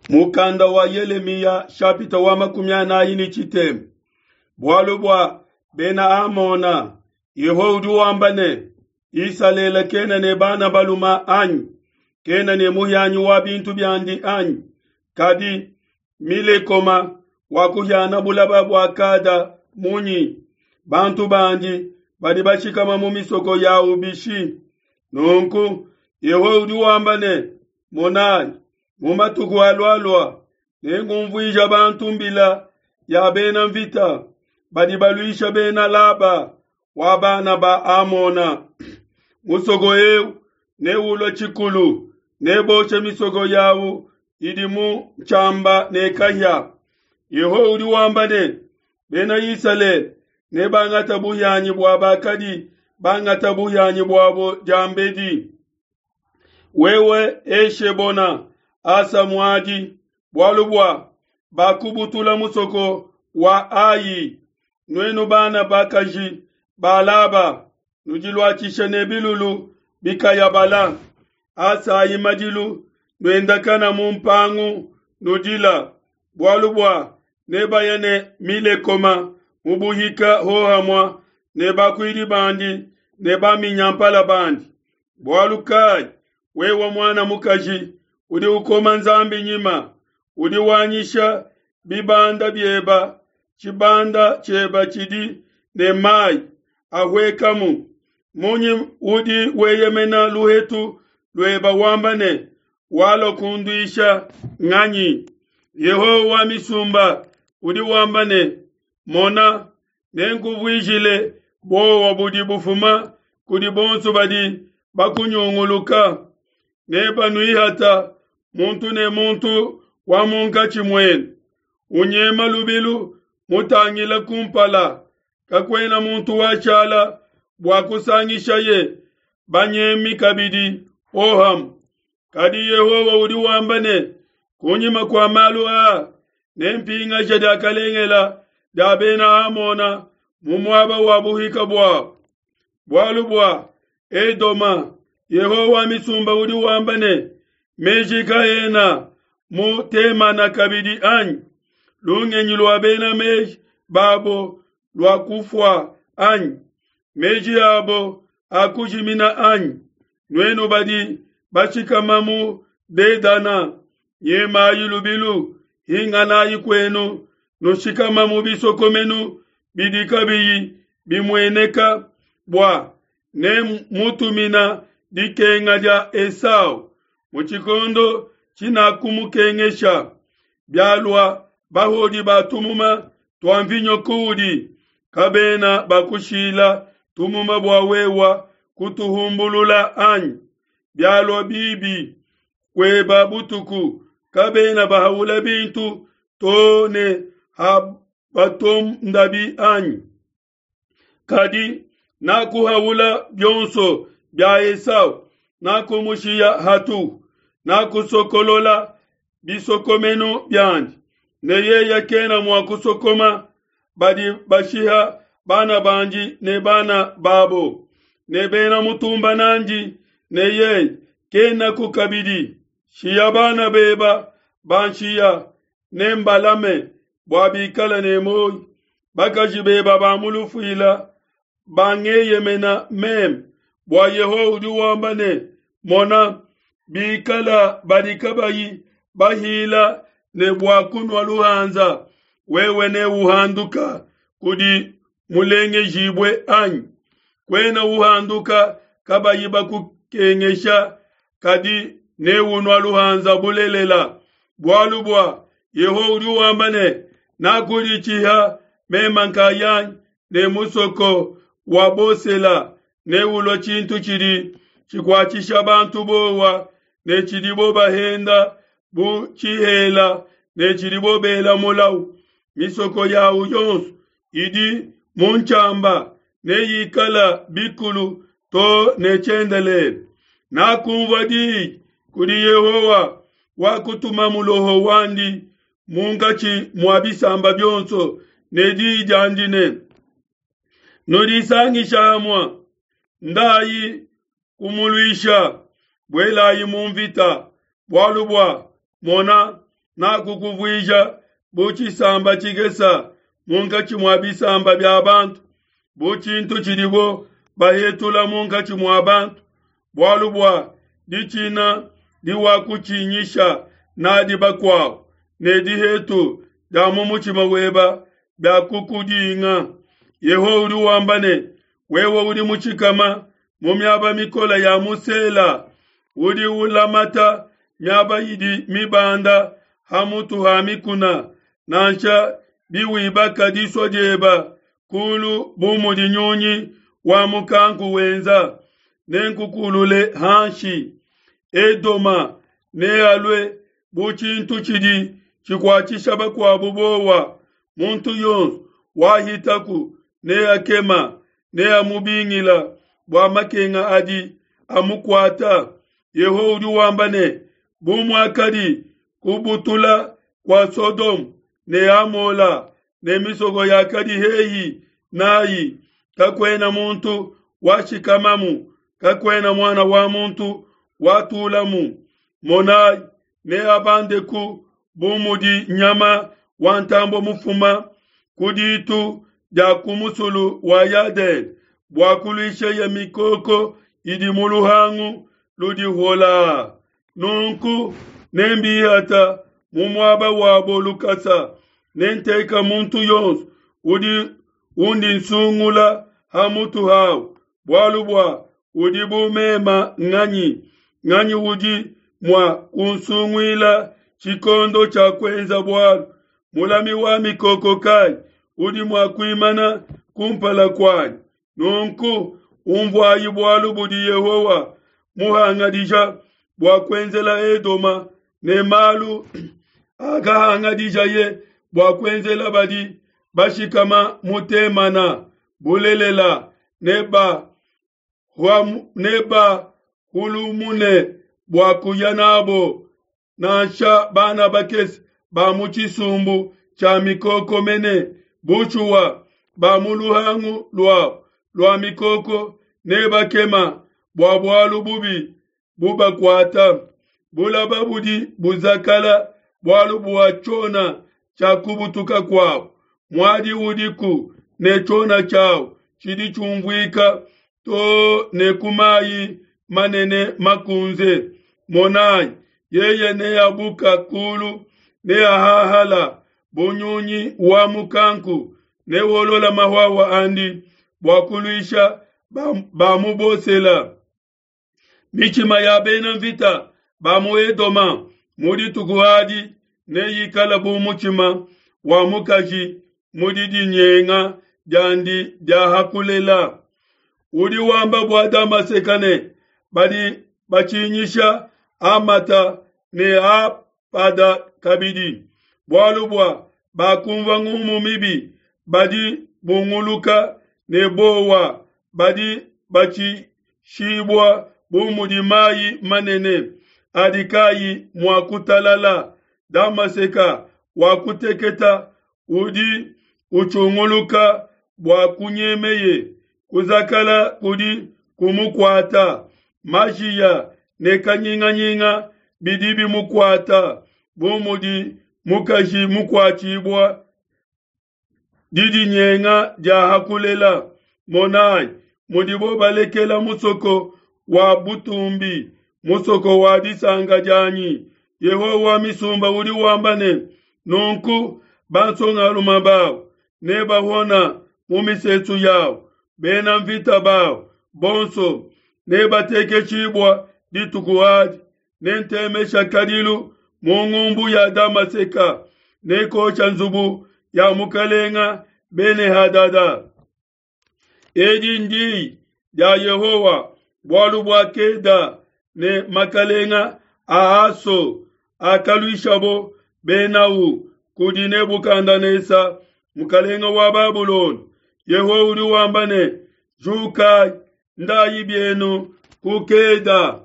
Mukanda wa Yelemiya shapita wa 43. Bualu bua bena Amona, Yehowa udi wamba ne, Isalele kena ne bana baluma anyi? Kena ne muhianyi wa bintu biandi anyi? Kadi Milekoma wakuhiana bulaba bua Kada munyi? Bantu bandi badi bashikama mu misoko yau bishi? Nunku Yehowa udi wamba ne, Monai, mu matuku alualua nengumvuija bantu mbila ya bena mvita badi baluisha bena Laba wa bana ba Amona. Musoko eu neulue tshikulu, neboshe misoko yawu idi mu tshiamba ne kahia. Yehowa udi wamba ne, Bena Isalele nebangate buhianyi bua bakadi bangata buhianyi buabo diambedi. Wewe Eshebona, asa muadi, bualu bua bakubutula musoko wa Ai. Nuenu bana bakaji ba Laba, nudiluatshishe ne bilulu bikayabala. Asayi madilu, nuendakana mu mpangu, nudila, bualu bua nebaya ne Milekoma mu buhika hohamua ne bakuidi bandi ne baminyampala bandi. Bualu kai wewe muana mukaji udi ukoma Nzambi nyima, udi wanyisha bibanda bieba, tshibanda tshieba tshidi ne mai ahuekamu? Munyi udi weyemena luhetu lueba wamba ne, Walua kunduisha nganyi? Yehowa wa misumba udi wamba ne, Mona, nenkuvuijile buowa budi bufuma kudi bonso badi bakunyunguluka, nebanuihata muntu ne muntu wa munkatshi muenu, unyema lubilu mutangila kumpala, kakuena muntu washala bua kusangishaye banyemi kabidi hohamue. Kadi Yehowa udi wamba ne, kunyima kua malu aa nempingaje diakalengela dia bena Amona mu muaba wa buhika buabo. Bualu bua Edoma, Yehowa wa misumba udi wamba ne, meji kaena mu Temana kabidi anyi? Lungenyi lua bena meji babo lua kufua anyi? Meji abo akujimina anyi? Nuenu badi bashikama mu Dedana, nyemayi lubilu, hinganayi kuenu, nushikama mu bisokomenu bidi kabiyi bimueneka, bua nemutumina dikenga dia Esau mu tshikondo tshinakumukengesha. Bialua bahodi ba tumuma tua mvinyo kuudi, kabena bakushila tumuma bua wewa kutuhumbulula anyi? Bialua bibi kueba butuku, kabena bahaula bintu to ne habatondabi anyi? Kadi nakuhaula bionso bia Esau, nakumushiya hatuhu, nakusokolola bisokomenu biandi, ne yeye kena mua kusokoma badi bashiha bana bandi ne bana babo ne bena mutumba nandi, ne yeye kenaku kabidi. Shiya bana beba banshiya, ne mbalame bua bikale ne muoyo. Bakaji beba ba mu lufuila bangeyemena meme, bua Yehowa udi wamba ne, Mona, bikala badi kabayi bahila ne bua kunua luhanza, wewe neuhanduka kudi mulengejibue anyi? Kuena uhanduka kabayi bakukengesha, kadi neunua luhanza bulelela. Bualu bua Yehowa udi wamba ne, Nakuditshiha meme nkayanyi ne musoko wa Bosela neulue tshintu tshidi tshikuatshisha bantu buowa ne tshidibo bahenda bu tshihela ne tshidibo bela mulau. Misoko yawu yonso idi mu ntshiamba neyikala bikulu to ne tshiendelele. Nakunvua diyi kudi Yehowa wakutuma muloho wandi munkatshi mua bisamba bionso ne diyi diandi ne, Nudisangisha hamue, ndayi kumuluisha, buelayi mu mvita, bualu bua mona, Nakukuvuija bu tshisamba tshikese munkatshi mua bisamba bia bantu, bu tshintu tshidibo bahetula munkatshi mua bantu, bualu bua ditshina diwakutshinyisha nadi bakuabo, ne dihetu dia mu mutshima weba biakukudinga. Yehowa udi wamba ne, Wewe udi mutshikama mu miaba mikole ya mu Sela, udi ulamata miaba idi mibanda ha mutu ha mikuna, nansha biwibaka disua dieba kulu bu mudi nyunyi wa mukanku wenza, nenkukulule hanshi. Edoma nealue bu tshintu tshidi tshikuatshisha bakuabo buowa, muntu yonso wahitaku neakema, neamubingila bua makenga adi amukuata. Yehowa udi wamba ne, Bu muakadi kubutula kua Sodome ne Amola ne misoko yakadi hehi n'ai, kakuena muntu washikamamu, kakuena muana wa muntu watulamu. Monai, neabandeku bu mudi nyama wa ntambue mufuma ku ditu dia ku musulu wa Yadene bua kuluisheye mikoko idi mu luhangu ludi holaa. Nunku nembihata mu muaba wabo lukasa, nenteka muntu yonso udi undi nsungula ha mutu hau, bualu bua udi bu mema nganyi? Nganyi udi mua kunsunguila tshikondo tshia kuenza bualu? Mulami wa mikoko kai udi mua kuimana kumpala kuanyi? Nunku unvuayi bualu budi Yehowa muhangadija bua kuenzela Edoma ne malu akahangadijaye bua kuenzela badi bashikama mu Temana. Bulelela, neba nebahulumune bua kuya nabo, nansha bana bakese ba mu tshisumbu tshia mikoko mene. Bushuwa, ba mu luhangu luabo lua mikoko nebakema bua bualu bubi bubakuata. Bulaba budi buzakala bualu bua tshiona tshia kubutuka kuabo. Muadi udiku ne tshiona tshiawu tshidi tshiumvuika too ne ku mayi manene makunze. Monayi, yeye neabuka kulu, neahahala bu nyunyi wa mukanku, newolola mahuahua andi bua kuluisha ba mu Bosela. Mitshima ya bena mvita ba mu Edoma mu dituku adi neyikale bu mutshima wa mukaji mu didinyenga diandi dia ha kulela. Udi wamba bua Damaseka ne, Badi batshinyisha Hamata ne Apada kabidi, bualu bua bakunvua ngumu mibi, badi bunguluka ne buowa, badi batshishibua bu mudi mayi manene adi kayi mua kutalala. Damaseka wakuteketa, udi utshunguluka bua kunyemeye, kuzakala kudi kumukuata, majiya ne kanyinganyinga bidi bimukuata, bu mudi mukaji mukuatshibua didinyenga dia ha kulela. Monai mudibo balekela musoko wa butumbi, musoko wa disanka dianyi. Yehowa wa misumba udi wamba ne, Nunku bansongalume babo nebahona mu misesu yabo, bena mvita babo bonso nebatekeshibua dituku adi. Nentemesha kadilu mu ngumbu ya Damaseka, nekosha nzubu ya mukalenga Bene-Hadada. Edi ndiyi dia Yehowa bualu bua Keda ne makalenga a Aso akaluishabo benau kudi Nebukadenesa mukalenga wa Babulona. Yehowa udi wamba ne, Jukai, ndayi bienu ku Keda,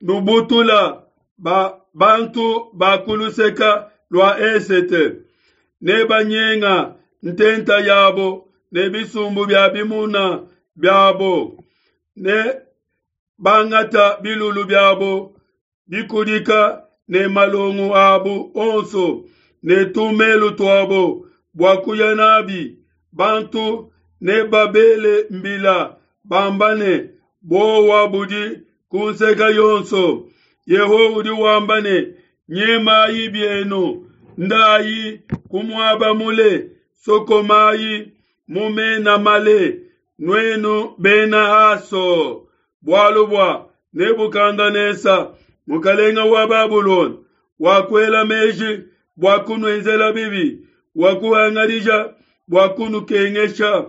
nubutula ba bantu ba ku luseka lua esete, ne banyenga ntenta yabo ne bisumbu bia bimuna biabo, ne bangata bilulu biabo bikudika. ne malongo abu onso ne tumelu tuabo bua kuya nabi. Bantu nebabele mbila bamba ne, Buowa budi ku nseka yonso. Yehowa udi wamba ne, Nyemayi bienu, ndayi ku muaba mule, sokomayi mu mena male, nuenu bena Haso, bualu bua Nebukadenesa mukalenge wa Babulona wakuela meji bua kunuenzela bibi, wakuhangadija bua kunukengesha.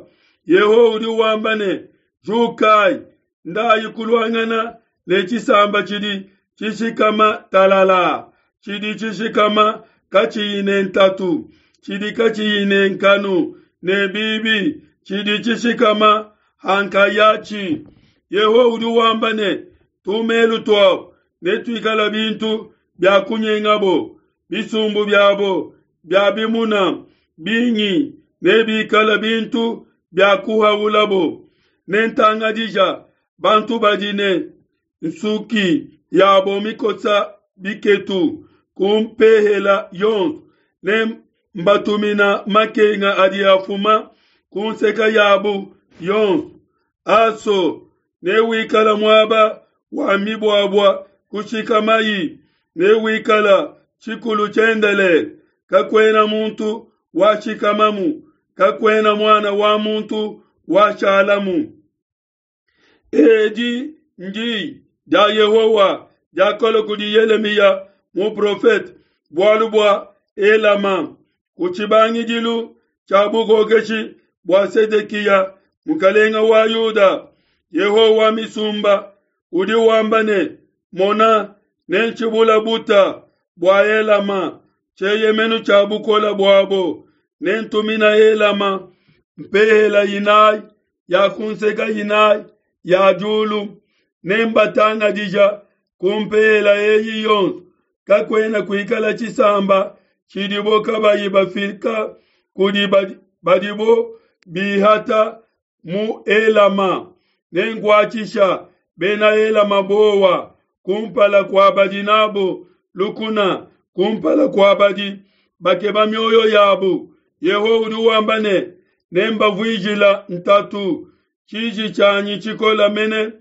Yehowa udi wamba ne, Jukayi, ndayi kuluangana ne tshisamba tshidi tshishikama talala, tshidi tshishikama katshiyi ne ntatu, tshidi katshiyi ne nkanu ne bibi, tshidi tshishikama ha nkayatshi. Yehowa udi wamba ne, Tumelu tuabo netuikale bintu bia kunyengabo, bisumbu biabo bia bimuna bingi nebikale bintu bia kuhaulabo. Nentangadija bantu badi ne nsuki yabo mikosa biketu ku mpehela yonso, ne mbatumina makenga adi afuma ku nseka yabu yonso. Aso newikala muaba wa mibuabua kushikamayi, newikala tshikulu tshiendelele. Kakuena muntu washikamamu, kakuena muana wa muntu washalamu. Edi ndi dia Yehowa diakalua kudi Yelemiya muprofete bualu bua Elama ku tshibangidilu tshia bukokeshi bua Sedekiya mukalenge wa Yuda. Yehowa wa misumba udi wamba ne, Mona, nentshibula buta bua Elama, tshieyemenu tshia bukole buabo, nentumina Elama mpehela inayi ya ku nseka inayi ya diulu, nembatangadija ku mpehela eyi yonso. Kakuena kuikala tshisamba tshidibo kabayi bafika kudi badibo bihata mu Elama. Nenkuatshisha bena Elama bowa kumpala kua badi nabo lukuna, kumpala kua badi bakeba mioyo yabu. Yehowa udi wamba ne, Nembavuijila ntatu, tshiji tshianyi tshikola mene,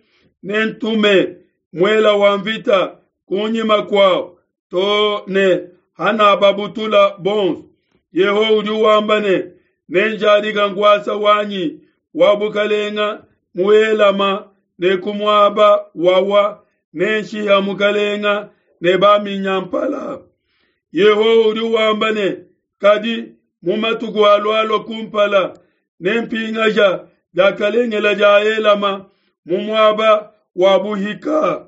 nentume muela wa mvita kunyima kuabu too ne hanababutula bonso. Yehowa udi wamba ne, Nenjadika nkuasa wanyi wa bukalenga mu Elama ne ku muaba wawa nenshiha mukalenga ne baminyampala. Yehowa udi wamba ne, Kadi mu matuku alualua kumpala nempingaja diakalengela dia Elama mu muaba wa buhika.